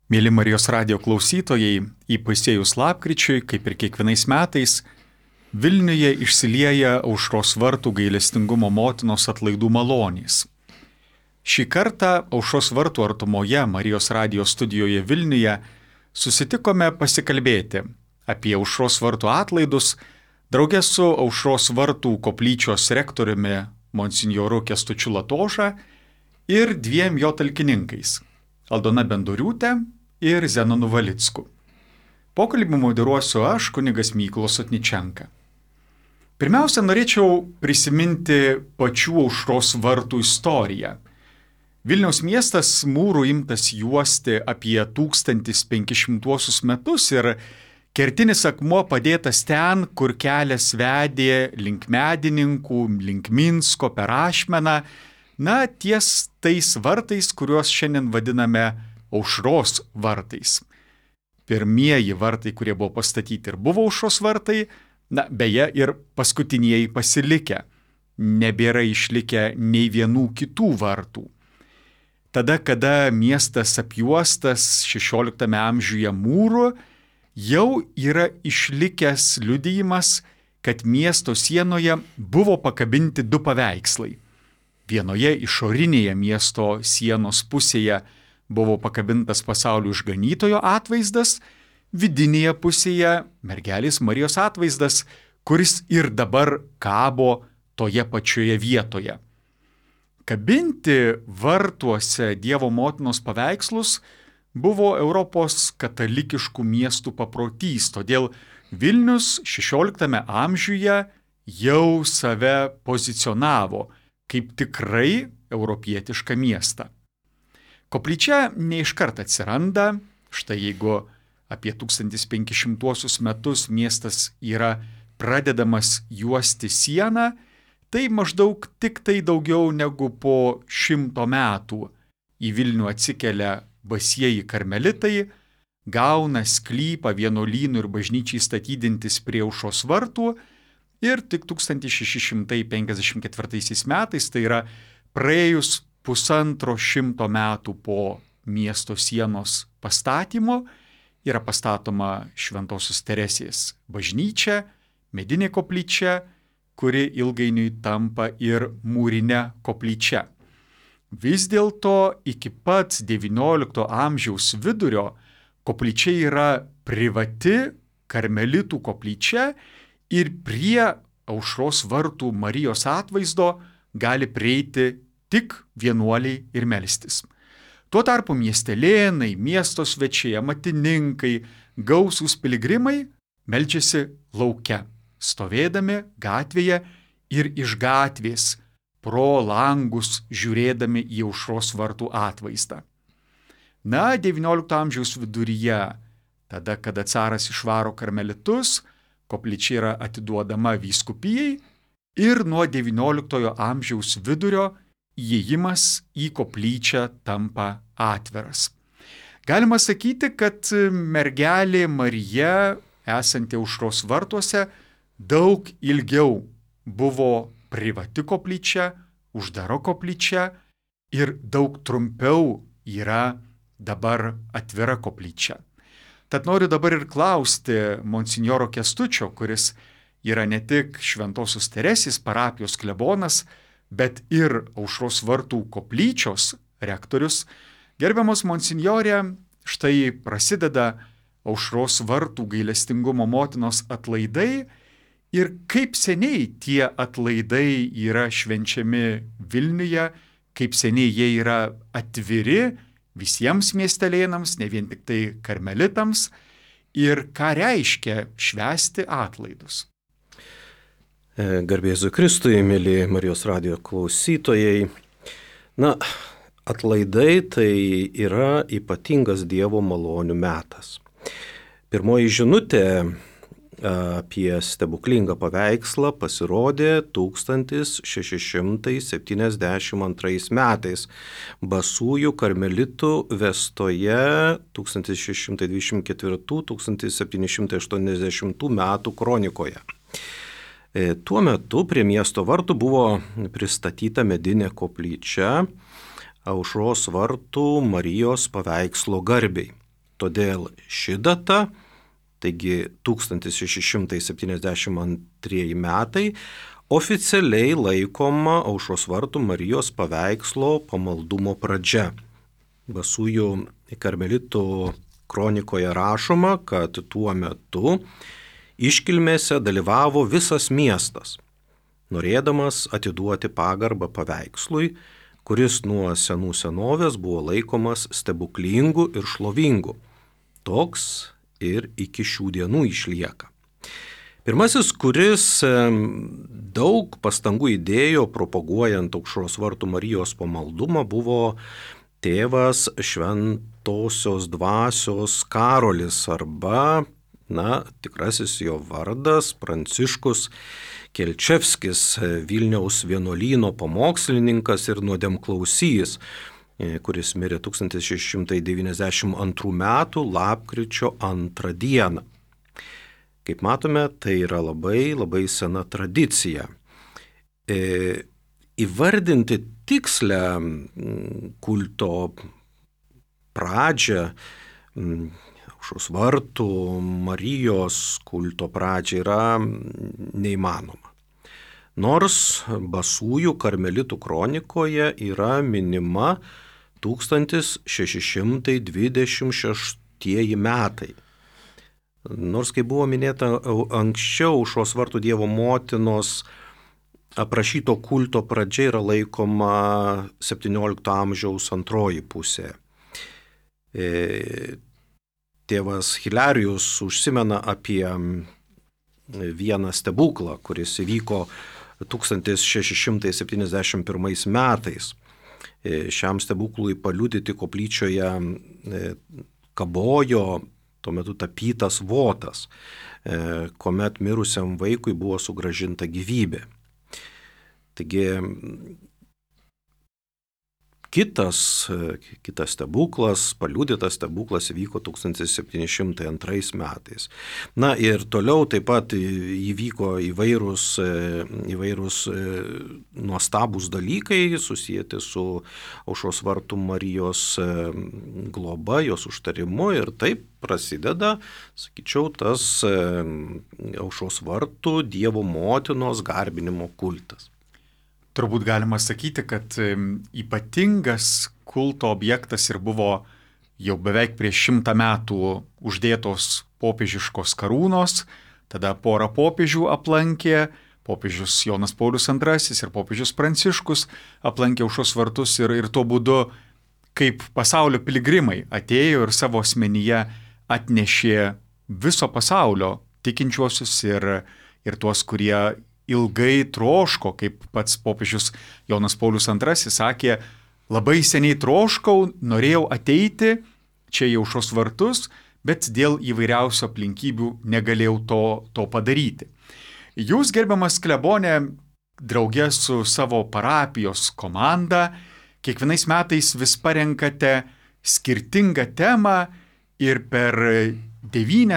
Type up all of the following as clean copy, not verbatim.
Mėly Marijos radijo klausytojai, įpusėjus lapkričiui, kaip ir kiekvienais metais, Vilniuje išsilieja Aušros vartų gailestingumo motinos atlaidų malonės. Šį kartą Aušros vartų artumoje Marijos radijo studijoje Vilniuje susitikome pasikalbėti apie Aušros vartų atlaidus drauge su Aušros vartų koplyčios rektoriumi monsinjoru Kęstučiu Latoža ir dviem jo talkininkais – Aldona Bendoriūtė ir Zenonu Valicku. Pokalbį moderuosiu aš, kunigas Mykolas Otničenka. Pirmiausia, norėčiau prisiminti pačių Aušros vartų istoriją. Vilniaus miestas mūrų imtas juosti apie 1500 metus ir kertinis akmuo padėtas ten, kur kelias vedė link Medininkų, link Minsko, per Ašmeną, ties tais vartais, kuriuos šiandien vadiname Aušros vartais. Pirmieji vartai, kurie buvo pastatyti ir buvo Aušros vartai, beje ir paskutinieji pasilikę. Nebėra išlikę nei vienų kitų vartų. Tada, kada miestas apjuostas XVI amžiuje mūru, jau yra išlikęs liudijimas, kad miesto sienoje buvo pakabinti du paveikslai. Vienoje išorinėje miesto sienos pusėje buvo pakabintas pasaulio išganytojo atvaizdas, vidinėje pusėje mergelės Marijos atvaizdas, kuris ir dabar kabo toje pačioje vietoje. Kabinti vartuose Dievo motinos paveikslus buvo Europos katalikiškų miestų paprotys, todėl Vilnius XVI amžiuje jau save pozicionavo kaip tikrai europietišką miestą. Koplyčia neiškart atsiranda, štai jeigu apie 1500 metus miestas yra pradedamas juosti sieną, tai maždaug tik tai daugiau negu po 100 metų į Vilnių atsikelia basieji karmelitai, gauna sklypą vienuolynų ir bažnyčiai statydintis prie Aušros vartų ir tik 1654 metais, tai yra praėjus 150 metų po miesto sienos pastatymo, yra pastatoma Šventosios Teresės bažnyčia, medinė koplyčia, kuri ilgainiui tampa ir mūrinė koplyčia. Vis dėlto iki pat XIX amžiaus vidurio koplyčia yra privati karmelitų koplyčia ir prie Aušros vartų Marijos atvaizdo gali prieiti tik vienuoliai ir melstis. Tuo tarpu miestelėnai, miesto svečiai, amatininkai, gausūs piligrimai meldžiasi lauke, stovėdami gatvėje ir iš gatvės pro langus žiūrėdami į Aušros vartų atvaizdą. XIX amžiaus viduryje, tada, kada caras išvaro karmelitus, koplyčia yra atiduodama vyskupijai ir nuo XIX amžiaus vidurio įėjimas į koplyčią tampa atviras. Galima sakyti, kad mergelė Marija, esanti Aušros vartuose, daug ilgiau buvo privati koplyčia, uždara koplyčia ir daug trumpiau yra dabar atvira koplyčia. Tad noriu dabar ir klausti monsinjoro Kęstučio, kuris yra ne tik Šventosios Teresės parapijos klebonas, bet ir Aušros vartų koplyčios rektorius. Gerbiamas monsinjore, štai prasideda Aušros vartų gailestingumo motinos atlaidai ir kaip seniai tie atlaidai yra švenčiami Vilniuje, kaip seniai jie yra atviri visiems miestelėnams, ne vien tik tai karmelitams, ir ką reiškia švęsti atlaidus. Garbė Jėzui Kristui, mėly Marijos radijo klausytojai. Atlaidai tai yra ypatingas Dievo malonių metas. Pirmoji žinutė apie stebuklingą paveikslą pasirodė 1672 metais Basųjų karmelitų vestoje 1624-1780 metų kronikoje. Tuo metu prie miesto vartų buvo pristatyta medinė koplyčia Aušros vartų Marijos paveikslo garbei. Todėl ši data, taigi 1672 metai, oficialiai laikoma Aušros vartų Marijos paveikslo pamaldumo pradžia. Basųjų karmelitų kronikoje rašoma, kad tuo metu iškilmėse dalyvavo visas miestas, norėdamas atiduoti pagarbą paveikslui, kuris nuo senų senovės buvo laikomas stebuklingu ir šlovingu. Toks ir iki šių dienų išlieka. Pirmasis, kuris daug pastangų įdėjo propaguojant Aušros vartų Marijos pamaldumą, buvo tėvas Šventosios dvasios Karolis arba, tikrasis jo vardas Pranciškus Kelčevskis, Vilniaus vienuolyno pamokslininkas ir nuodėmklausys, kuris mirė 1692 metų lapkričio 2 dieną. Kaip matome, tai yra labai, labai sena tradicija. Įvardinti tikslę kulto pradžią, Aušros vartų Marijos kulto pradžią yra neįmanoma. Nors Basųjų karmelitų kronikoje yra minima 1626 metai. Nors, kaip buvo minėta anksčiau, Aušros vartų Dievo motinos aprašyto kulto pradžia yra laikoma 17 amžiaus antroji pusė. Tėvas Hilarijus užsimena apie vieną stebuklą, kuris įvyko 1671 metais. Šiam stebuklui paliudyti koplyčioje kabojo tuo metu tapytas votas, kuomet mirusiam vaikui buvo sugrąžinta gyvybė. Taigi kitas stebuklas, paliudytas stebuklas įvyko 1702 metais. Ir toliau taip pat įvyko įvairūs nuostabūs dalykai susijęti su Aušros vartų Marijos globa, jos užtarimu ir taip prasideda, sakyčiau, tas Aušros vartų Dievo motinos garbinimo kultas. Turbūt galima sakyti, kad ypatingas kulto objektas ir buvo jau beveik prieš 100 metų uždėtos popiežiškos karūnos, tada porą popiežių aplankė, popiežius Jonas Paulius II ir popiežius Pranciškus aplankė Aušros vartus ir tuo būdu, kaip pasaulio piligrimai atėjo ir savo asmenyje atnešė viso pasaulio tikinčiuosius ir tuos, kurie ilgai troško, kaip pats popiežius Jonas Paulius II sakė, labai seniai troškau, norėjau ateiti čia į Aušros vartus, bet dėl įvairiausių aplinkybių negalėjau to padaryti. Jūs, gerbiamas klebone, draugė su savo parapijos komanda, kiekvienais metais vis parenkate skirtingą temą ir per 9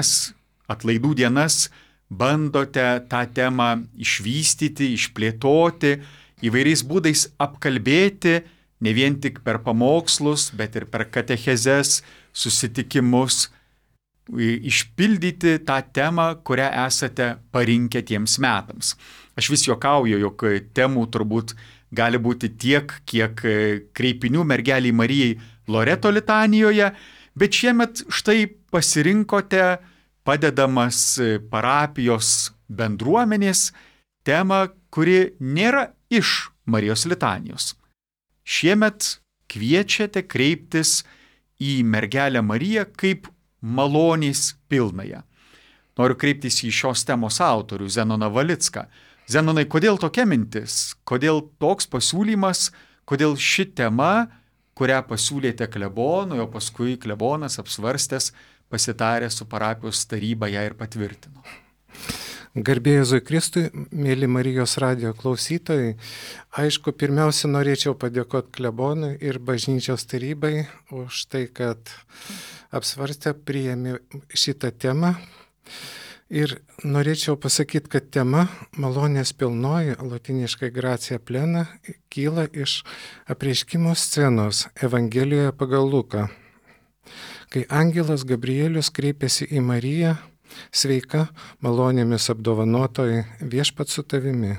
atlaidų dienas bandote tą temą išvystyti, išplėtoti, įvairiais būdais apkalbėti, ne vien tik per pamokslus, bet ir per katechezes, susitikimus, išpildyti tą temą, kurią esate parinkę tiems metams. Aš vis juokauju, jog temų turbūt gali būti tiek, kiek kreipinių mergeliai Marijai Loreto litanijoje, bet šiemet štai pasirinkote, padedamas parapijos bendruomenės, temą, kuri nėra iš Marijos litanijos. Šiemet kviečiate kreiptis į mergelę Mariją kaip malonės pilnąją. Noriu kreiptis į šios temos autorių Zenoną Valicką. Zenonai, kodėl tokia mintis? Kodėl toks pasiūlymas? Kodėl ši tema, kurią pasiūlėte klebonui, o paskui klebonas apsvarstęs, pasitarė su parapijos taryba ją ir patvirtino? Garbė Jėzui Kristui, mėly Marijos radijo klausytojai, aišku, pirmiausia norėčiau padėkoti klebonui ir bažnyčios tarybai už tai, kad apsvarstė, priėmė šitą temą. Ir norėčiau pasakyti, kad tema malonės pilnoji, lotyniškai gracia plena, kyla iš apreiškimo scenos Evangelijoje pagal Luką. kai angelas Gabrielius kreipėsi į Mariją: sveika, malonėmis apdovanotoji, viešpats su tavimi.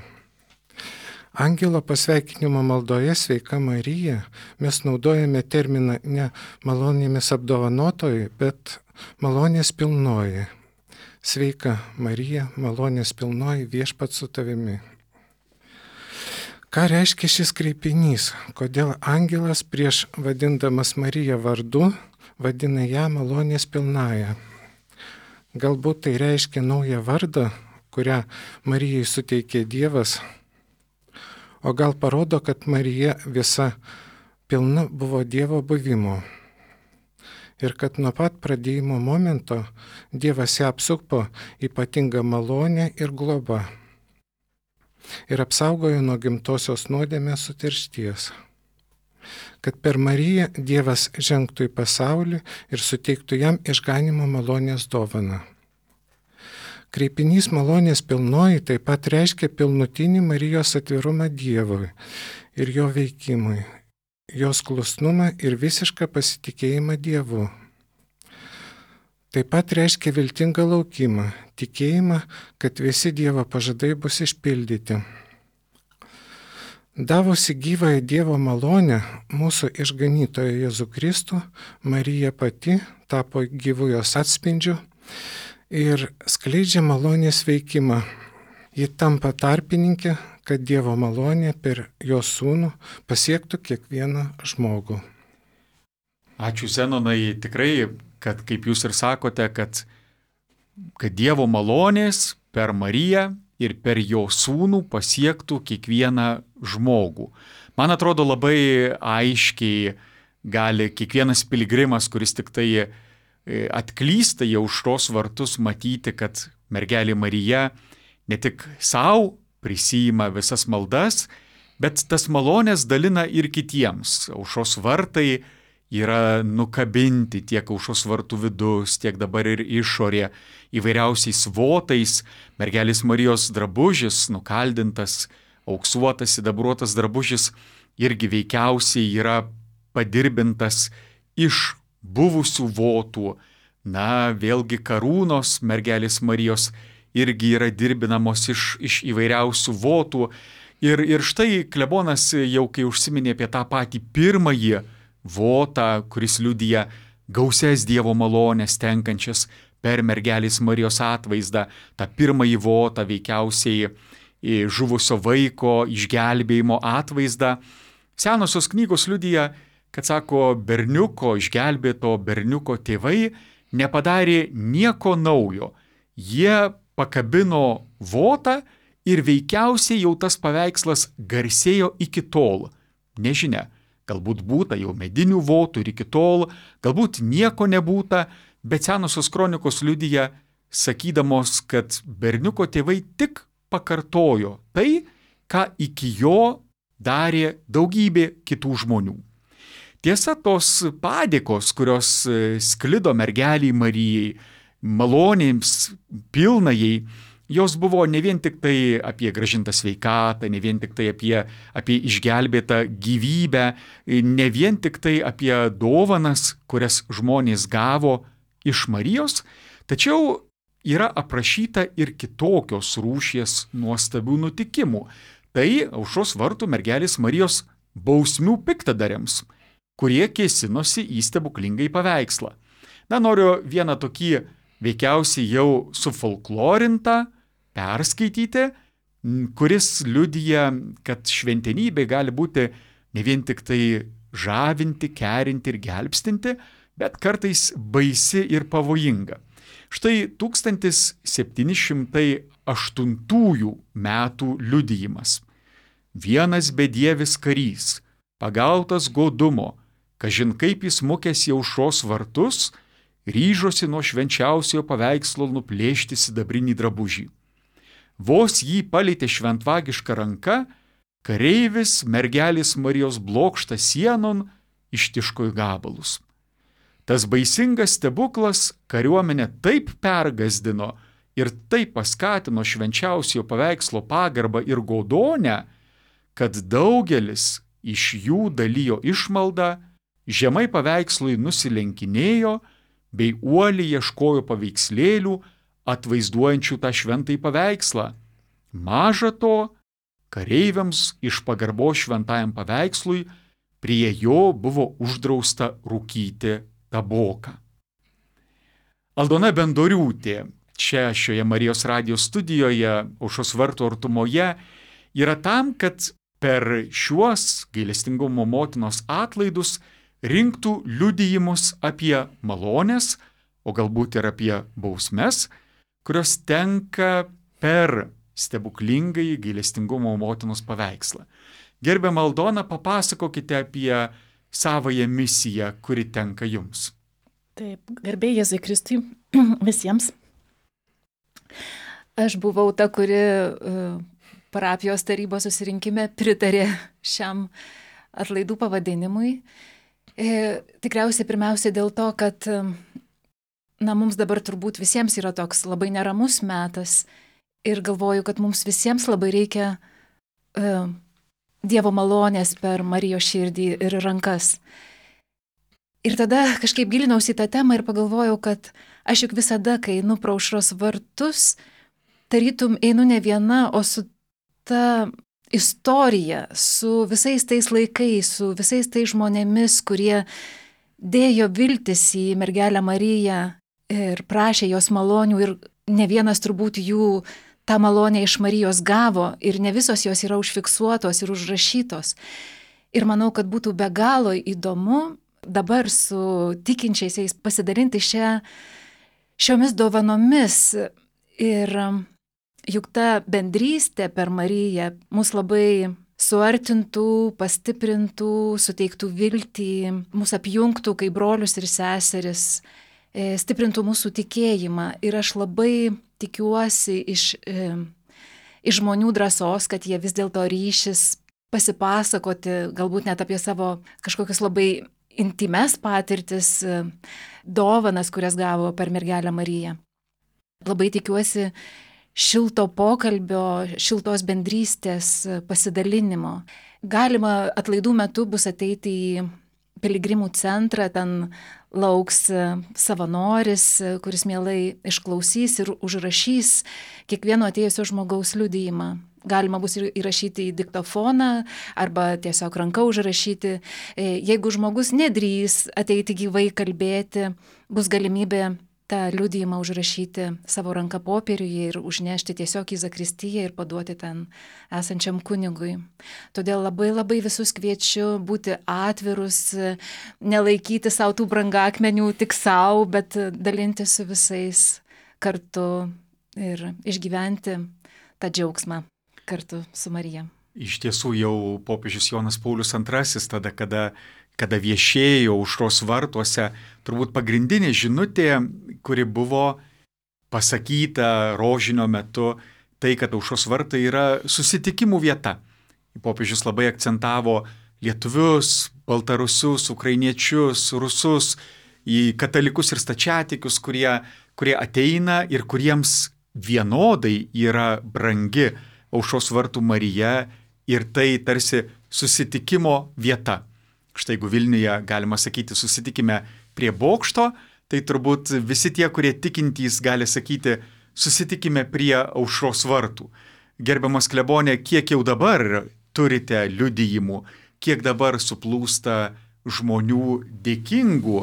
Angelo pasveikinimo maldoje sveika Marija mes naudojame terminą ne malonėmis apdovanotoji, bet malonės pilnoji. Sveika Marija, malonės pilnoji, viešpats su tavimi. Ką reiškia šis kreipinys? Kodėl angelas prieš vadindamas Mariją vardu vadina ją malonės pilnąją? Galbūt tai reiškia naują vardą, kurią Marijai suteikė Dievas, o gal parodo, kad Marija visa pilna buvo Dievo buvimo ir kad nuo pat pradėjimo momento Dievas ją apsupo ypatingą malonę ir globą ir apsaugojo nuo gimtosios nuodėmės suteršties, kad per Mariją Dievas žengtų į pasaulį ir suteiktų jam išganimo malonės dovaną. Kreipinys malonės pilnoji taip pat reiškia pilnutinį Marijos atvirumą Dievui ir jo veikimui, jos klusnumą ir visišką pasitikėjimą Dievu. Taip pat reiškia viltingą laukimą, tikėjimą, kad visi Dievo pažadai bus išpildyti. Davusi gyvąją Dievo malonę, mūsų išganytoją Jėzų Kristų, Marija pati tapo gyvu jos atspindžiu ir skleidžia malonės veikimą. Ji tampa tarpininkė, kad Dievo malonė per jos sūnų pasiektų kiekvieną žmogų. Ačiū Zenonai, tikrai, kad kaip jūs ir sakote, kad Dievo malonės per Mariją ir per jo sūnų pasiektų kiekvieną žmogų. Man atrodo, labai aiškiai gali kiekvienas piligrimas, kuris tik tai atklysta į aušros vartus, matyti, kad mergelė Marija ne tik savo prisijima visas maldas, bet tas malonės dalina ir kitiems. Aušros vartai yra nukabinti tiek aušros vartų vidus, tiek dabar ir išorė, įvairiausiais votais. Mergelės Marijos drabužis, nukaldintas, auksuotas, sidabruotas drabužis, irgi veikiausiai yra padirbintas iš buvusių votų. Na, vėlgi karūnos mergelės Marijos irgi yra dirbinamos iš įvairiausių votų. Ir štai klebonas jau kai užsiminė apie tą patį pirmąjį votą, kuris liudija gausias Dievo malonės tenkančias per mergelės Marijos atvaizdą, tą pirmąjį votą veikiausiai žuvusio vaiko išgelbėjimo atvaizdą. Senosios knygos liudija, kad sako, berniuko, išgelbėto berniuko tėvai nepadarė nieko naujo. Jie pakabino votą ir veikiausiai jau tas paveikslas garsėjo iki tol. Nežinia, galbūt būta jau medinių votų ir iki tol, galbūt nieko nebūta, bet senosios kronikos liudija, sakydamos, kad berniuko tėvai tik pakartojo tai, ką iki jo darė daugybė kitų žmonių. Tiesa, tos padėkos, kurios sklido mergeliai Marijai, malonėms pilnajai, jos buvo ne vien tik tai apie grąžintą sveikatą, ne vien tik tai apie išgelbėtą gyvybę, ne vien tik tai apie dovanas, kurias žmonės gavo iš Marijos, tačiau yra aprašyta ir kitokios rūšies nuostabių nutikimų. Tai aušros vartų mergelės Marijos bausmių piktadariams, kurie kėsinosi į stebuklingąjį paveikslą. Na, noriu vieną tokį veikiausiai jau sufolklorintą perskaityti, kuris liudija, kad šventenybė gali būti ne vien tik tai žavinti, kerinti ir gelbstinti, bet kartais baisi ir pavojinga. Štai 1708 metų liudijimas. Vienas bedievis karys, pagautas godumo, kažin kaip jis mukęs į aušros vartus, ryžosi nuo švenčiausiojo paveikslo nuplėšti sidabrinį drabužį. Vos jį palietė šventvagiška ranka, kareivis mergelės Marijos blokštą sienon ištiško į gabalus. Tas baisingas stebuklas kariuomenę taip pergasdino ir taip paskatino švenčiausiojo paveikslo pagarbą ir godonę, kad daugelis iš jų dalijo išmaldą, žemai paveikslui nusilenkinėjo bei uoliai ieškojo paveikslėlių atvaizduojančių tą šventąjį paveikslą. Maža to, kareiviams iš pagarbos šventajam paveikslui prie jo buvo uždrausta rūkyti taboką. Aldona Bendoriūtė čia šioje Marijos radijo studijoje Aušros vartų artumoje yra tam, kad per šiuos gailestingumo motinos atlaidus rinktų liudijimus apie malonės, o galbūt ir apie bausmes, kurios tenka per stebuklingai gailestingumo motinos paveikslą. Gerbiama Aldona, papasakokite apie savąją misiją, kuri tenka jums. Taip, garbė Jėzui Kristui visiems. Aš buvau ta, kuri parapijos tarybos susirinkime pritarė šiam atlaidų pavadinimui. Tikriausiai pirmiausia dėl to, kad mums dabar turbūt visiems yra toks labai neramus metas ir galvoju, kad mums visiems labai reikia Dievo malonės per Marijos širdį ir rankas. Ir tada kažkaip gilinausi į tą temą ir pagalvojau, kad aš juk visada, kai einu pro Aušros vartus, tarytum einu ne viena, o su ta istorija, su visais tais laikais, su visais tais žmonėmis, kurie dėjo viltis į mergelę Mariją ir prašė jos malonių ir ne vienas turbūt jų tą malonę iš Marijos gavo ir ne visos jos yra užfiksuotos ir užrašytos. Ir manau, kad būtų be galo įdomu dabar su tikinčiaisiais pasidalinti šiomis dovanomis. Ir juk ta bendrystė per Mariją mus labai suartintų, pastiprintų, suteiktų viltį, mus apjungtų kaip brolius ir seseris, stiprintų mūsų tikėjimą. Ir aš labai tikiuosi iš žmonių drąsos, kad jie vis dėlto ryšis pasipasakoti, galbūt net apie savo kažkokius labai intimes patirtis, dovanas, kurias gavo per mergelę Mariją. Labai tikiuosi šilto pokalbio, šiltos bendrystės pasidalinimo. Galima atlaidų metu bus ateiti į piligrimų centrą, ten lauks savanoris, kuris mielai išklausys ir užrašys kiekvieno atėjusio žmogaus liudijimą. Galima bus įrašyti į diktofoną arba tiesiog ranka užrašyti. Jeigu žmogus nedrįs ateiti gyvai kalbėti, bus galimybė tą liudijimą užrašyti savo ranką popieriuje ir užnešti tiesiog į zakristiją ir paduoti ten esančiam kunigui. Todėl labai labai visus kviečiu būti atvirus, nelaikyti savo tų brangakmenių tik savo, bet dalinti su visais kartu ir išgyventi tą džiaugsmą kartu su Marija. Iš tiesų jau popiežius Jonas Paulius II, tada, kada viešėjo Aušros vartuose, turbūt pagrindinė žinutė, kuri buvo pasakyta rožinio metu, tai, kad Aušros vartai yra susitikimų vieta. Popiežius labai akcentavo lietuvius, baltarusius, ukrainiečius, rusus, į katalikus ir stačiatikius, kurie ateina ir kuriems vienodai yra brangi Aušros vartų Marija ir tai tarsi susitikimo vieta. Štai jeigu Vilniuje, galima sakyti, susitikime prie bokšto, tai turbūt visi tie, kurie tikintys, gali sakyti, susitikime prie Aušros vartų. Gerbiamas klebonė, kiek jau dabar turite liudijimų, kiek dabar suplūsta žmonių dėkingų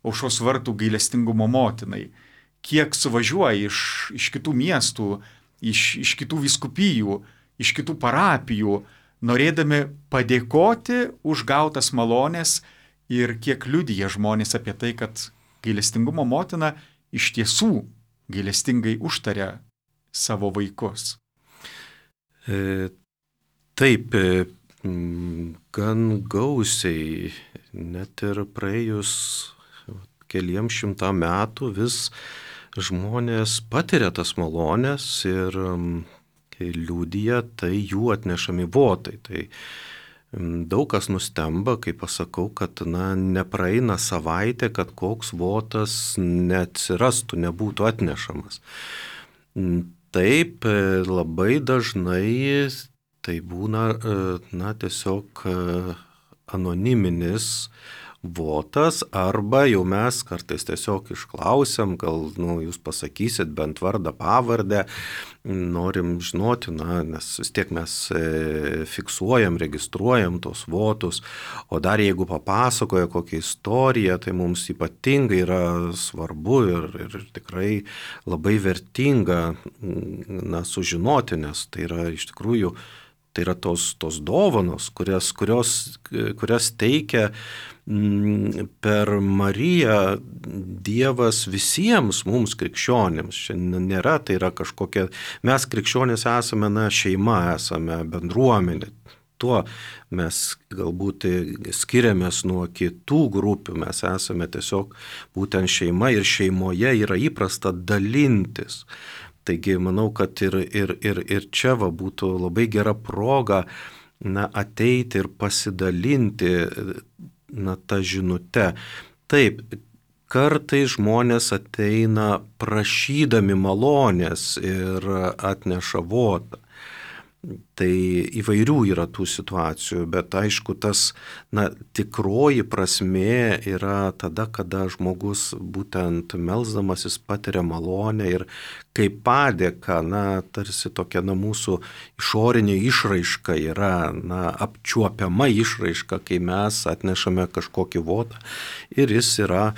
Aušros vartų gailestingumo motinai, kiek suvažiuoja iš kitų miestų, iš kitų vyskupijų, iš kitų parapijų, norėdami padėkoti už gautas malonės ir kiek liudija žmonės apie tai, kad gailestingumo motina iš tiesų gailestingai užtaria savo vaikus. Taip, gan gausiai, net ir praėjus keliems šimtam metų vis žmonės patiria tas malonės ir liudija tai jų atnešami votai. Tai daug kas nustemba, kai pasakau, kad nepraeina savaitė, kad koks votas neatsirastų, nebūtų atnešamas. Taip, labai dažnai tai būna tiesiog anoniminis votas, arba jau mes kartais tiesiog išklausiam, gal jūs pasakysit bent vardą, pavardę, norim žinoti, nes vis tiek mes fiksuojam, registruojam tos votus, o dar jeigu papasakoja kokią istoriją, tai mums ypatingai yra svarbu ir tikrai labai vertinga sužinoti, nes tai yra iš tikrųjų tai yra tos dovanos, kurias teikia per Mariją Dievas visiems mums krikščionims. Šiandien nėra, tai yra kažkokia, mes krikščionys esame šeima, esame bendruomenė. Tuo mes galbūt skiriamės nuo kitų grupių, mes esame tiesiog būtent šeima ir šeimoje yra įprasta dalintis. Taigi manau, kad ir čia būtų labai gera proga ateiti ir pasidalinti tą žinutę. Taip, kartais žmonės ateina prašydami malonės ir atneša votą. Tai įvairių yra tų situacijų, bet aišku, tas tikroji prasmė yra tada, kada žmogus būtent melsdamasis patiria malonę ir kaip padėka, tarsi tokia mūsų išorinė išraiška yra, apčiuopiama išraiška, kai mes atnešame kažkokį votą ir jis yra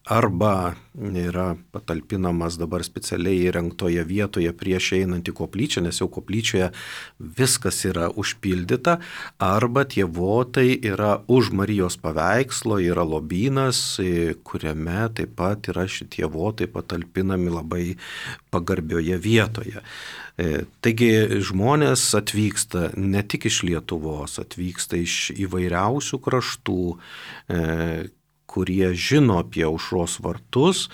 arba yra patalpinamas dabar specialiai įrengtoje vietoje prieš einant į koplyčią, nes jau koplyčioje viskas yra užpildyta, arba tie votai yra už Marijos paveikslo, yra lobynas, kuriame taip pat yra šitie votai patalpinami labai pagarbioje vietoje. Taigi žmonės atvyksta ne tik iš Lietuvos, atvyksta iš įvairiausių kraštų, kurie žino apie Aušros vartus.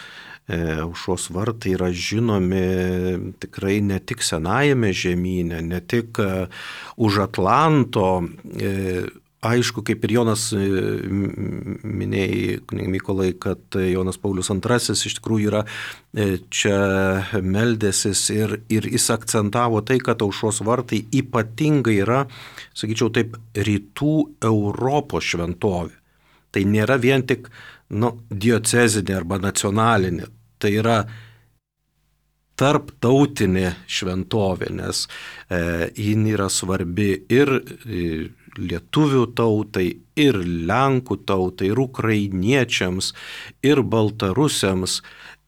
Aušros vartai yra žinomi tikrai ne tik senajame žemyne, ne tik už Atlanto. Aišku, kaip ir Jonas minėjai, Mykolai, kad Jonas Paulius II iš tikrųjų yra čia meldęsis ir jis akcentavo tai, kad Aušros vartai ypatingai yra, sakyčiau taip, rytų Europos šventovė. Tai nėra vien tik diocezinė arba nacionalinė, tai yra tarptautinė šventovė, nes jin yra svarbi ir lietuvių tautai, ir lenkų tautai, ir ukrainiečiams, ir baltarusiams,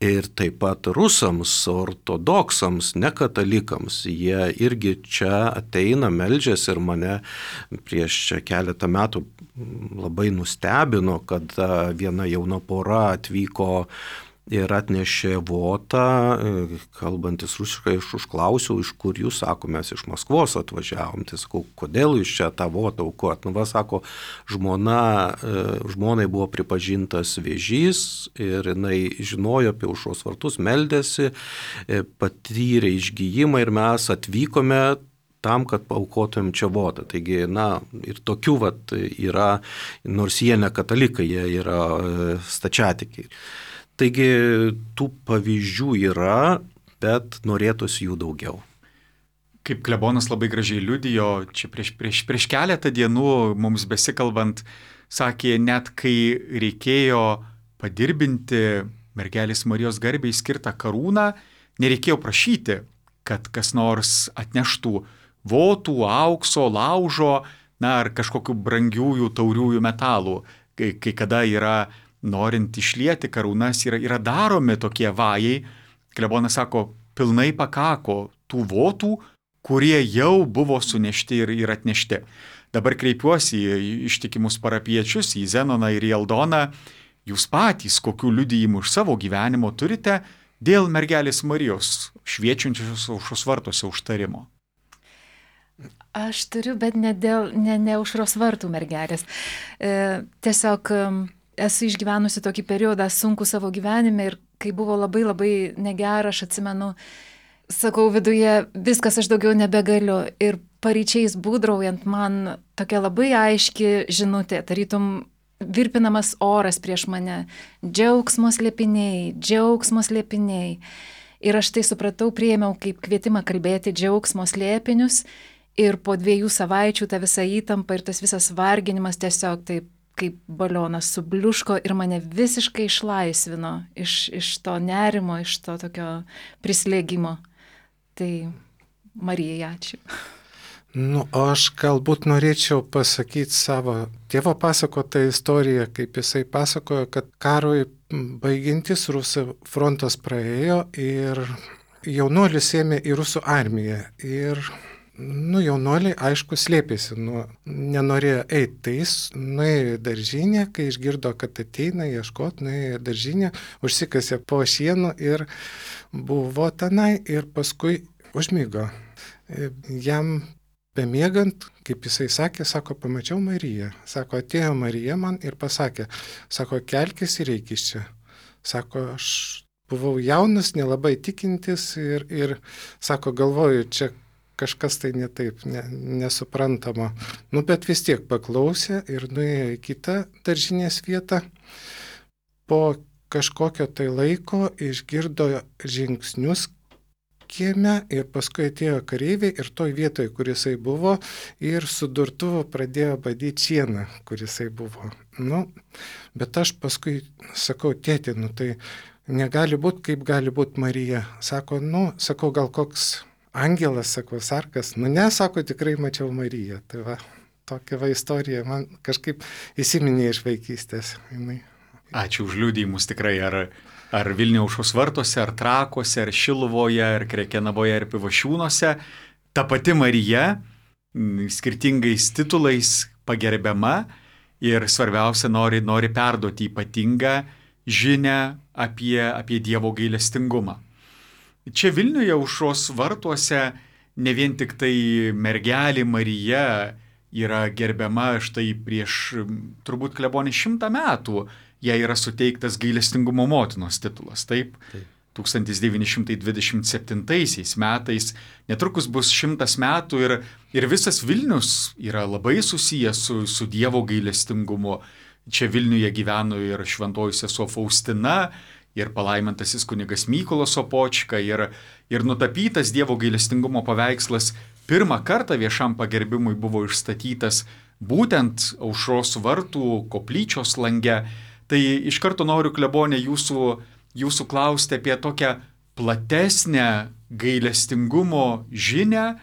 ir taip pat rusams, ortodoksams, nekatalikams. Jie irgi čia ateina, meldžiasi ir mane prieš keletą metų labai nustebino, kad viena jauna pora atvyko ir atnešė votą, kalbantis rusiškai, aš užklausiau, iš kur jūs, sako, mes iš Maskvos atvažiavom. Tai sakau, kodėl jūs čia tą votą aukojat? Sako, žmonai buvo pripažintas vėžys ir jinai žinojo apie Aušros vartus, meldėsi, patyrė išgijimą ir mes atvykome tam, kad paaukotumėm čia votą. Taigi, ir tokių yra, nors jie ne katalikai, jie yra stačiatikiai. Taigi tų pavyzdžių yra, bet norėtųsi jų daugiau. Kaip klebonas labai gražiai liudijo, čia prieš keletą dienų mums besikalbant, sakė, net kai reikėjo padirbinti mergelės Marijos garbei skirtą karūną, nereikėjo prašyti, kad kas nors atneštų votų, aukso, laužo, ar kažkokių brangiųjų tauriųjų metalų, kai kada yra norint išlieti karūnas, yra daromi tokie vajai. Klebonas sako, pilnai pakako tų votų, kurie jau buvo sunešti ir atnešti. Dabar kreipiuosi į ištikimus parapiečius, į Zenoną ir į Aldoną. Jūs patys kokių liudijimų iš savo gyvenimo turite dėl mergelės Marijos šviečiančios Aušros vartuose užtarimo? Aš turiu, bet ne Aušros vartų mergelės. Tiesiog esu išgyvenusi tokį periodą sunku savo gyvenime ir kai buvo labai labai negera, aš atsimenu, sakau viduje, viskas, aš daugiau nebegaliu. Ir paryčiais būdraujant man tokia labai aiški žinutė, tarytum virpinamas oras prieš mane, džiaugsmo slėpiniai. Ir aš tai supratau, priėmiau kaip kvietimą kalbėti džiaugsmo slėpinius ir po 2 savaičių ta visa įtampa ir tas visas varginimas tiesiog taip kaip balionas subliuško ir mane visiškai išlaisvino iš to nerimo, iš to tokio prislėgimo. Tai Marijai ačiū. Aš galbūt norėčiau pasakyti savo tėvo pasakotą istoriją, kaip jisai pasakojo, kad karui baigiantis rusų frontas praėjo ir jaunuolis ėmė į rusų armiją. Ir jaunuoliai, aišku, slėpėsi, nenorėjo eiti. Tai jis nuėjo į daržinę, kai išgirdo, kad ateina ieškoti, nuėjo į daržinę, užsikasė po šienu ir buvo tenai ir paskui užmigo. Jam bemiegant, kaip jisai sakė, sako, pamačiau Mariją. Sako, atėjo Marija man ir pasakė, sako, kelkis ir eik iš čia. Sako, aš buvau jaunas, nelabai tikintis ir sako, galvoju, čia kažkas tai ne taip, nesuprantama. Bet vis tiek paklausė ir nuėjo į kitą daržinės vietą. Po kažkokio tai laiko išgirdo žingsnius kieme ir paskui atėjo kareiviai ir toj vietoje, kur jisai buvo, ir su durtuvu pradėjo badyti šieną, kur jisai buvo. Bet aš paskui sakau, tėti, tai negali būti, kaip gali būti Marija. Sako, sakau, gal koks angelas, sako, sarkas. Ne, sako, tikrai mačiau Mariją. Tai va, tokia va istorija man kažkaip įsiminė iš vaikystės. Ačiū už liudijimus tikrai, ar Vilniaus aušros vartuose, ar Trakuose, ar Šiluvoje, ar Krekenavoje, ar Pivašiūnuose. Ta pati Marija skirtingais titulais pagerbiama ir svarbiausia nori perduoti ypatingą žinią apie Dievo gailestingumą. Čia Vilniuje aušros vartuose ne vien tik tai mergelė Marija yra gerbiama štai prieš turbūt klebonį 100 metų. Jai yra suteiktas gailestingumo motinos titulas. Taip. 1927 metais netrukus bus 100 metų ir visas Vilnius yra labai susijęs su Dievo gailestingumu. Čia Vilniuje gyveno ir šventoji sesuo Faustina, ir palaimintasis kunigas Mykolas Sopočka, ir nutapytas Dievo gailestingumo paveikslas pirmą kartą viešam pagerbimui buvo išstatytas būtent aušros vartų koplyčios lange. Tai iš karto noriu, klebonė, jūsų klausti apie tokią platesnę gailestingumo žinią,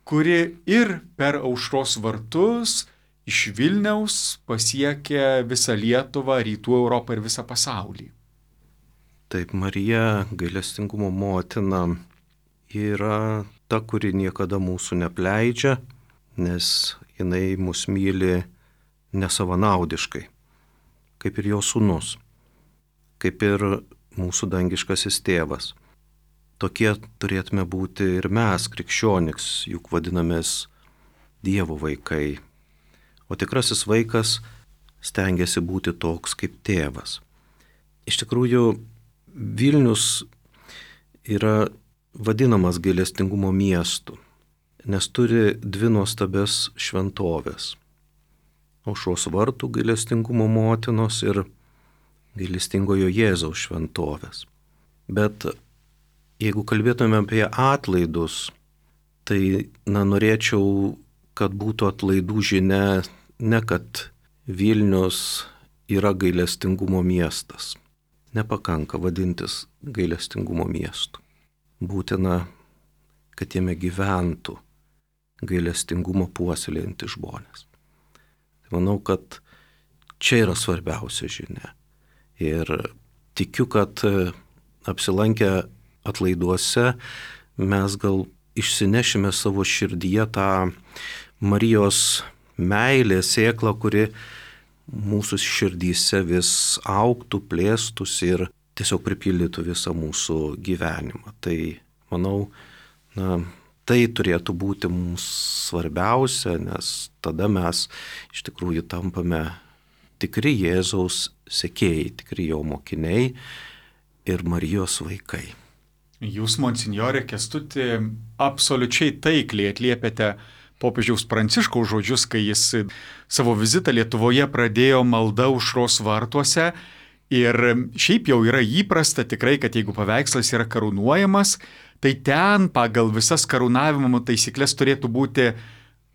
kuri ir per aušros vartus iš Vilniaus pasiekia visą Lietuvą, Rytų Europą ir visą pasaulį. Taip, Marija, gailestingumo motina, yra ta, kuri niekada mūsų nepleidžia, nes jinai mus myli nesavanaudiškai. Kaip ir jo sūnus, kaip ir mūsų dangiškasis tėvas. Tokie turėtume būti ir mes, krikščioniks, juk vadinamės Dievo vaikai. O tikrasis vaikas stengiasi būti toks kaip tėvas. Iš tikrųjų, Vilnius yra vadinamas gailestingumo miestu, nes turi 2 nuostabias šventovės. Aušros vartų gailestingumo motinos ir gailestingojo Jėzaus šventovės. Bet jeigu kalbėtume apie atlaidus, tai norėčiau, kad būtų atlaidų žinia, ne kad Vilnius yra gailestingumo miestas. Nepakanka vadintis gailestingumo miestu. Būtina, kad jame gyventų gailestingumo puoselėjantys žmonės. Manau, kad čia yra svarbiausia žinia. Ir tikiu, kad apsilankę atlaiduose mes gal išsinešime savo širdyje tą Marijos meilės sėklą, kuri mūsų širdyse vis augtų, plėstųsi ir tiesiog pripildytų visą mūsų gyvenimą. Tai manau, tai turėtų būti mums svarbiausia, nes tada mes iš tikrųjų tampame tikri Jėzaus sekėjai, tikri jo mokiniai ir Marijos vaikai. Jūs, monsinjore Kęstuti, absoliučiai taikliai atliepėte popiežiaus Pranciškaus žodžius, kai jis savo vizitą Lietuvoje pradėjo malda aušros vartuose. Ir šiaip jau yra įprasta tikrai, kad jeigu paveikslas yra karūnuojamas, tai ten pagal visas karūnavimo taisyklės turėtų būti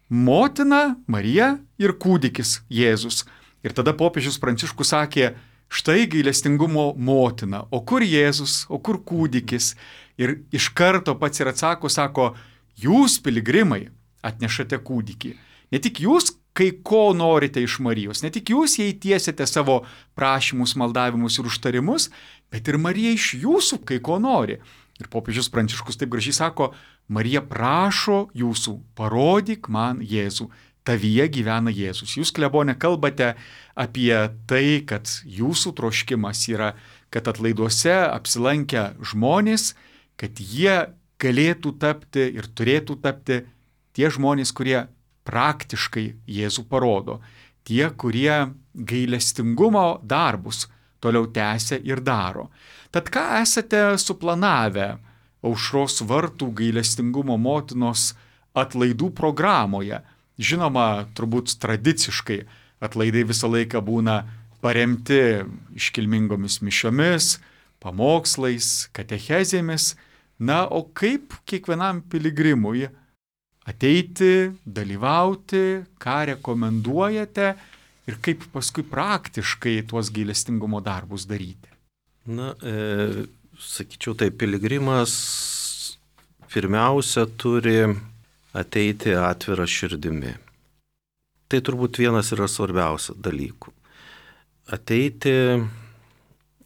motina Marija ir kūdikis Jėzus. Ir tada popiežius Pranciškus sakė, štai gailestingumo motina, o kur Jėzus, o kur kūdikis? Ir iš karto pats ir atsako, sako, jūs piligrimai atnešate kūdikį. Ne tik jūs kai ko norite iš Marijos, ne tik jūs jai tiesiate savo prašymus, maldavimus ir užtarimus, bet ir Marija iš jūsų kai ko nori. Ir popiežius Pranciškus taip gražiai sako, Marija prašo jūsų, parodyk man Jėzų. Tavyje gyvena Jėzus. Jūs, klebone, kalbate apie tai, kad jūsų troškimas yra, kad atlaiduose apsilankę žmonės, kad jie galėtų tapti ir turėtų tapti tie žmonės, kurie praktiškai Jėzų parodo. Tie, kurie gailestingumo darbus toliau tęsia ir daro. Tad ką esate suplanavę Aušros vartų gailestingumo motinos atlaidų programoje? Žinoma, turbūt tradiciškai atlaidai visą laiką būna paremti iškilmingomis mišiomis, pamokslais, katechezėmis. Na, o kaip kiekvienam piligrimui ateiti, dalyvauti, ką rekomenduojate ir kaip paskui praktiškai tuos gailestingumo darbus daryti? Na, sakyčiau, tai piligrimas pirmiausia turi ateiti atvira širdimi. Tai turbūt vienas yra svarbiausių dalykų. Ateiti,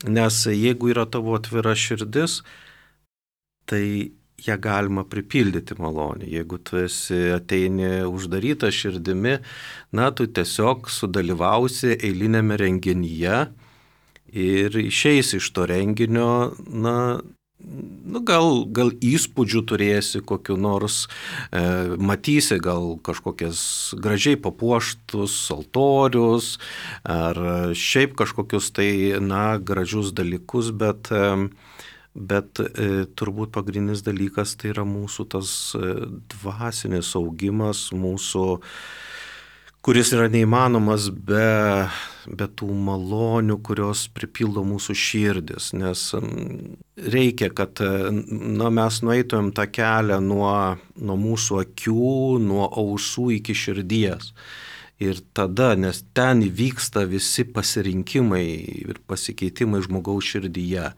nes jeigu yra tavo atvira širdis, tai ją galima pripildyti malonį. Jeigu tu ateini uždarytą širdimi, na, tu tiesiog sudalyvausi eilinėme renginyje ir išeisi iš to renginio, gal įspūdžių turėsi kokiu nors, matysi gal kažkokias gražiai papuoštus altorius ar šiaip kažkokius tai, gražius dalykus, bet turbūt pagrindinis dalykas tai yra mūsų tas dvasinis augimas, kuris yra neįmanomas be tų malonių, kurios pripildo mūsų širdis, nes reikia, kad mes nueitumėm tą kelią nuo mūsų akių, nuo ausų iki širdies. Ir tada, nes ten įvyksta visi pasirinkimai ir pasikeitimai žmogaus širdyje.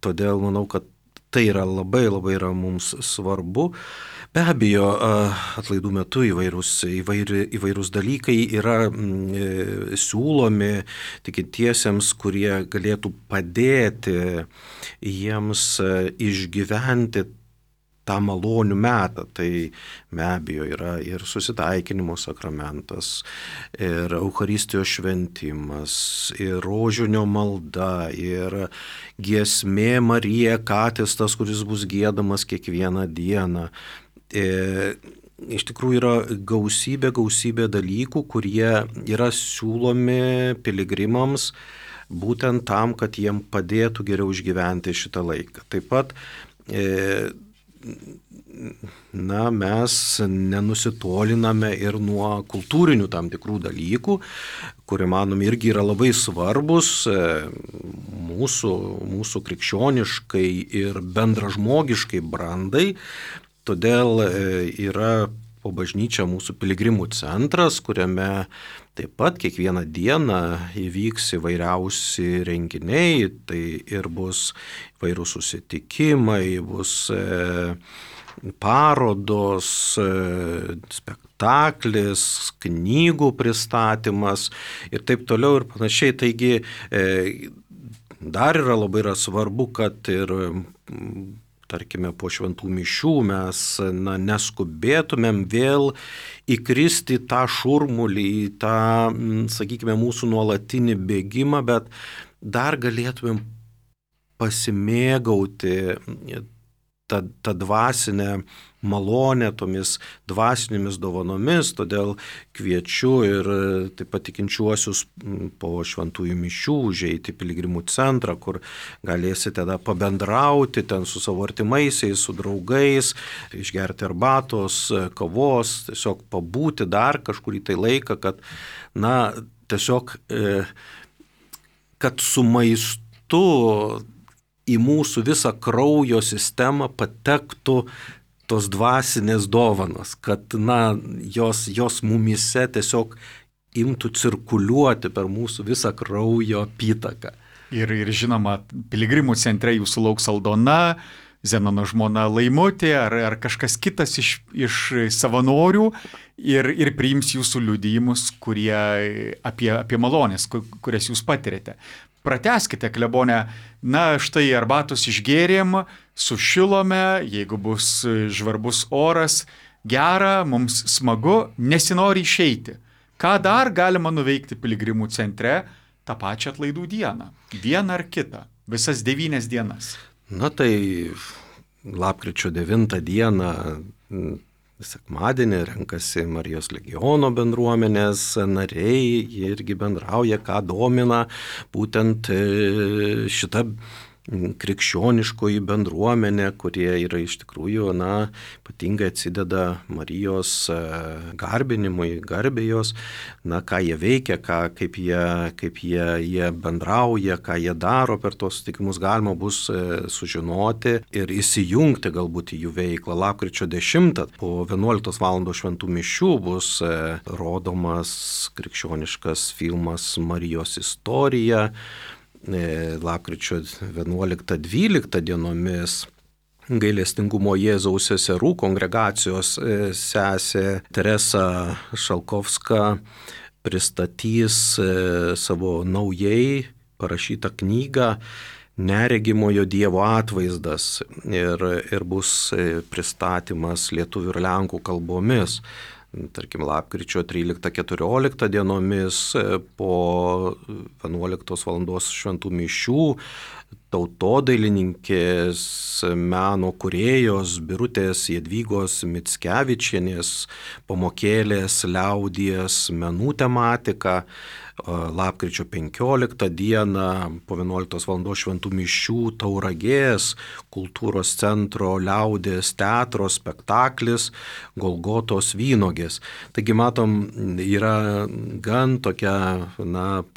Todėl manau, kad tai yra labai yra mums svarbu. Be abejo, atlaidų metu įvairūs dalykai yra siūlomi tikintiesiems, kurie galėtų padėti jiems išgyventi tą malonių metą. Tai be abejo yra ir susitaikinimo sakramentas, ir Eucharistijos šventimas, ir rožinio malda, ir giesmė Marija Katestas, kuris bus giedamas kiekvieną dieną. Iš tikrųjų yra gausybė dalykų, kurie yra siūlomi piligrimams būtent tam, kad jiem padėtų geriau išgyventi šitą laiką. Taip pat mes nenusitoliname ir nuo kultūrinių tam tikrų dalykų, kurie manome irgi yra labai svarbus mūsų krikščioniškai ir bendražmogiškai brandai. Todėl yra po bažnyčią mūsų piligrimų centras, kuriame taip pat kiekvieną dieną įvyks įvairiausi renginiai, tai ir bus įvairūs susitikimai, bus parodos, spektaklis, knygų pristatymas ir taip toliau ir panašiai. Taigi dar labai svarbu, kad ir tarkime, po šventų mišių mes neskubėtumėm vėl įkristi tą šurmulį, į tą, sakykime, mūsų nuolatinį bėgimą, bet dar galėtumėm pasimėgauti tą dvasinę malonę, tomis dvasinėmis dovanomis, todėl kviečiu ir taip pat tikinčiuosius po šventųjų mišių užeiti į piligrimų centrą, kur galėsite tada pabendrauti ten su savo artimaisiais, su draugais, išgerti arbatos, kavos, tiesiog pabūti dar kažkurį tai laiką, kad, tiesiog, kad su maistu į mūsų visą kraujo sistemą patektų tos dvasinės dovanos, kad jos mumyse tiesiog imtų cirkuliuoti per mūsų visą kraujo apytaką. Ir žinoma, piligrimų centre jūsų lauks Aldona, Zenono žmona Laimutė ar kažkas kitas iš savanorių ir priims jūsų liudijimus, kurie apie malonės, kurias jūs patirėte. Pratęskite, klebone, štai arbatos išgėrėm, sušilome, jeigu bus žvarbus oras, gera, mums smagu, nesinori išeiti. Ką dar galima nuveikti piligrimų centre tą pačią atlaidų dieną? Vieną ar kitą? Visas 9 dienas. Tai lapkričio 9 dieną, sekmadienį, renkasi Marijos legiono bendruomenės nariai, jie irgi bendrauja, ką domina būtent šita krikščioniškoji bendruomenė, kurie yra iš tikrųjų, ypatingai atsideda Marijos garbinimui, garbėjos, ką jie veikia, kaip jie bendrauja, ką jie daro per tos sutikimus, galima bus sužinoti ir įsijungti galbūt į jų veiklą. Lapkričio 10 po 11 val. Šventų mišių bus rodomas krikščioniškas filmas Marijos istorija. Lapkričio 11-12 dienomis Gailestingumo Jėzaus seserų kongregacijos sesė Teresa Šalkovska pristatys savo naujai parašytą knygą Neregimojo Dievo atvaizdas ir bus pristatymas lietuvių ir lenkų kalbomis. Tarkim, lapkričio 13-14 dienomis po 11 val. Šventų mišių tautodailininkės meno kūrėjos Birutės Jadvygos Mickevičienės pamokėlės liaudies menų tematika. Lapkričio 15 dieną po 11 val. Šventų mišių Tauragės kultūros centro liaudies teatro spektaklis Golgotos vynogės. Taigi matom, yra gan tokia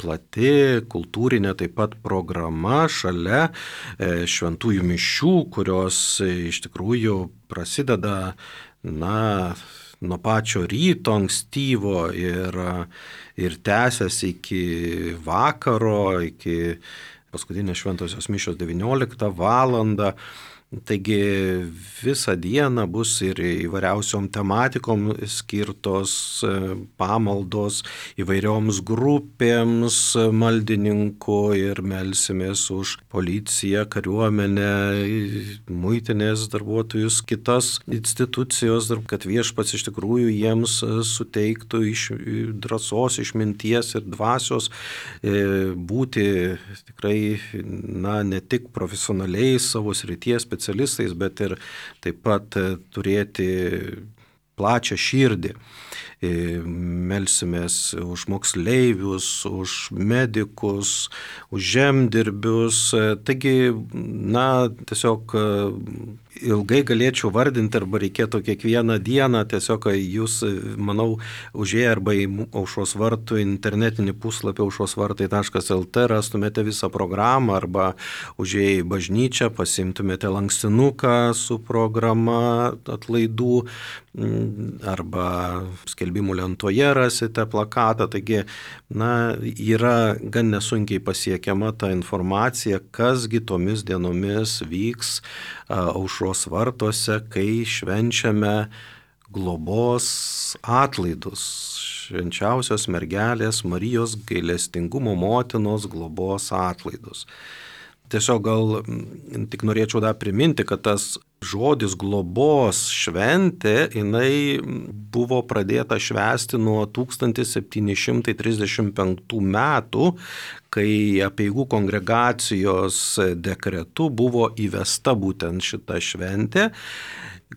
plati kultūrinė taip pat programa šalia šventųjų mišių, kurios iš tikrųjų prasideda nuo pačio ryto ankstyvo ir tęsiasi iki vakaro, iki paskutinės šventosios mišios 19 valandą. Taigi visą dieną bus ir įvairiausiom tematikom skirtos pamaldos įvairioms grupėms maldininkų ir melsimės už policiją, kariuomenę, muitinės darbuotojus, kitas institucijos, kad viešpats iš tikrųjų jiems suteiktų drąsos, išminties ir dvasios būti tikrai ne tik profesionaliais savo srities specialistais, bet ir taip pat turėti plačią širdį. Melsimės už moksleivius, už medikus, už žemdirbius. Taigi, tiesiog ilgai galėčiau vardinti arba reikėtų kiekvieną dieną, tiesiog jūs, manau, užėję arba į Aušros vartų internetinį puslapį aušrosvartai.lt rastumėte visą programą arba užėję į bažnyčią pasimtumėte lankstinuką su programa atlaidų arba skelbimų lentoje rasite plakatą. Taigi, yra gan nesunkiai pasiekiama ta informacija, kasgi tomis dienomis vyks Aušros vartuose, kai švenčiame globos atlaidus. Švenčiausios mergelės Marijos gailestingumo motinos globos atlaidus. Tiesiog gal tik norėčiau dar priminti, kad tas žodis globos šventė, jinai buvo pradėta švęsti nuo 1735 metų, kai Apeigų kongregacijos dekretu buvo įvesta būtent šita šventė,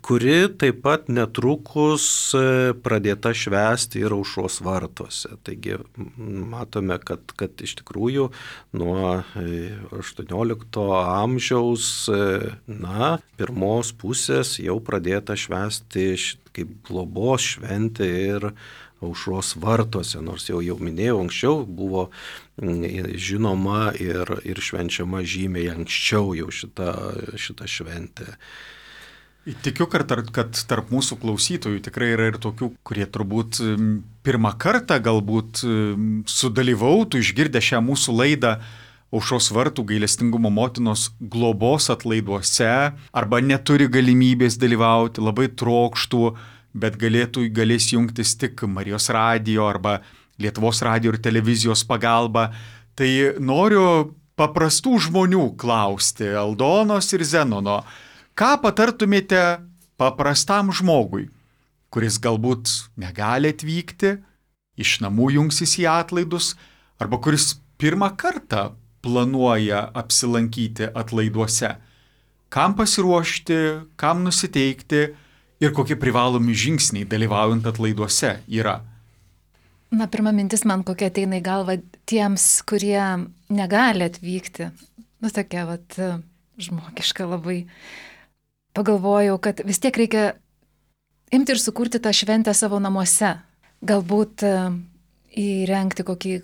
kuri taip pat netrukus pradėta švęsti ir Aušros vartuose. Taigi matome, kad iš tikrųjų nuo 18 amžiaus pirmos pusės jau pradėta švęsti kaip globos šventė ir Aušros vartuose, nors jau minėjau anksčiau, buvo žinoma ir švenčiama žymiai anksčiau jau šita šventė. Tikiu, kad tarp mūsų klausytojų tikrai yra ir tokių, kurie turbūt pirmą kartą galbūt sudalyvautų, išgirdę šią mūsų laidą Aušros vartų gailestingumo motinos globos atlaiduose, arba neturi galimybės dalyvauti, labai trokštų, bet galės jungtis tik Marijos radijo arba Lietuvos radijo ir televizijos pagalba. Tai noriu paprastų žmonių klausti, Aldonos ir Zenono, ką patartumėte paprastam žmogui, kuris galbūt negali atvykti, iš namų jungsis į atlaidus, arba kuris pirmą kartą planuoja apsilankyti atlaiduose? Kam pasiruošti, kam nusiteikti ir kokie privalomi žingsniai dalyvaujant atlaiduose yra? Na, pirma mintis man kokia ateina į galvą tiems, kurie negali atvykti. Nu, tokia žmogiška labai. Pagalvojau, kad vis tiek reikia imti ir sukurti tą šventę savo namuose. Galbūt įrengti kokį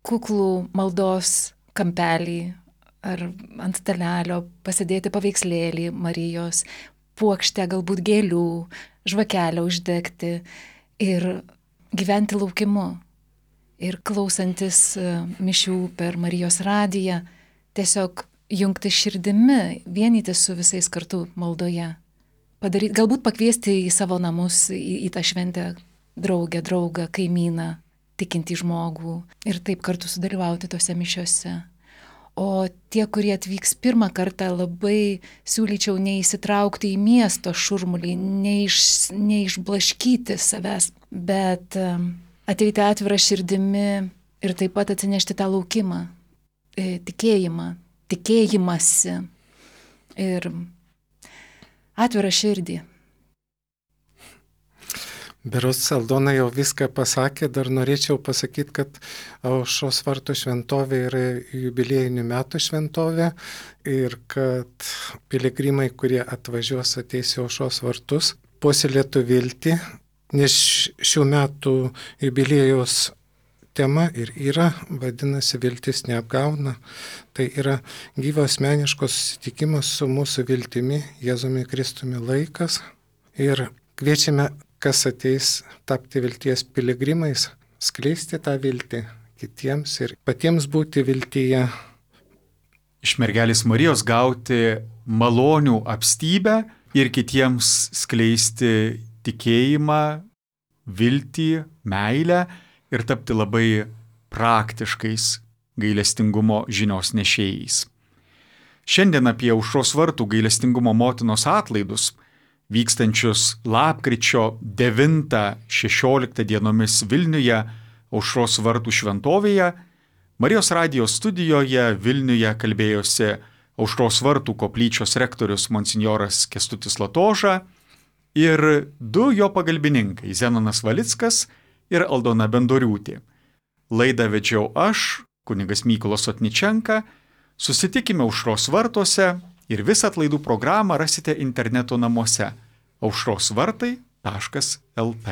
kuklų maldos kampelį ar ant stalelio, pasidėti paveikslėlį Marijos, puokštę galbūt gėlių, žvakelę uždegti ir gyventi laukimu. Ir klausantis mišių per Marijos radiją, tiesiog jungti širdimi, vienytis su visais kartu maldoje. Galbūt pakviesti į savo namus, į tą šventę draugą, kaimyną, tikintį žmogų ir taip kartu sudalyvauti tose mišiose. O tie, kurie atvyks pirmą kartą, labai siūlyčiau neįsitraukti į miesto šurmulį, neišblaškyti savęs, bet ateiti atvirą širdimi ir taip pat atsinešti tą laukimą, tikėjimą, tikėjimąsi ir atvirą širdį. Berods Aldona jau viską pasakė, dar norėčiau pasakyti, kad Aušros vartų šventovė yra jubiliejinių metų šventovė ir kad piligrimai, kurie atvažiuos, ateis į Aušros vartus, puoselėtų viltį, nes šių metų jubiliejaus tema ir yra, vadinasi, viltis neapgauna. Tai yra gyvo asmeniško susitikimo su mūsų viltimi, Jėzumi Kristumi laikas ir kviečiame, kas ateis tapti vilties piligrimais, skleisti tą viltį kitiems ir patiems būti viltyje. Iš mergelės Marijos gauti malonių apstybę ir kitiems skleisti tikėjimą, viltį, meilę ir tapti labai praktiškais gailestingumo žinios nešėjais. Šiandien apie Aušros vartų gailestingumo motinos atlaidus vykstančius lapkričio 9-16 dienomis Vilniuje, Aušros vartų šventovėje, Marijos radijos studijoje Vilniuje kalbėjosi Aušros vartų koplyčios rektorius monsinjoras Kęstutis Latoža ir du jo pagalbininkai Zenonas Valickas ir Aldona Bendoriūtė. Laidą vedžiau aš, kunigas Mykolas Otničenka. Susitikime Aušros vartuose ir visą atlaidų programą rasite interneto namuose aušrosvartai.lt.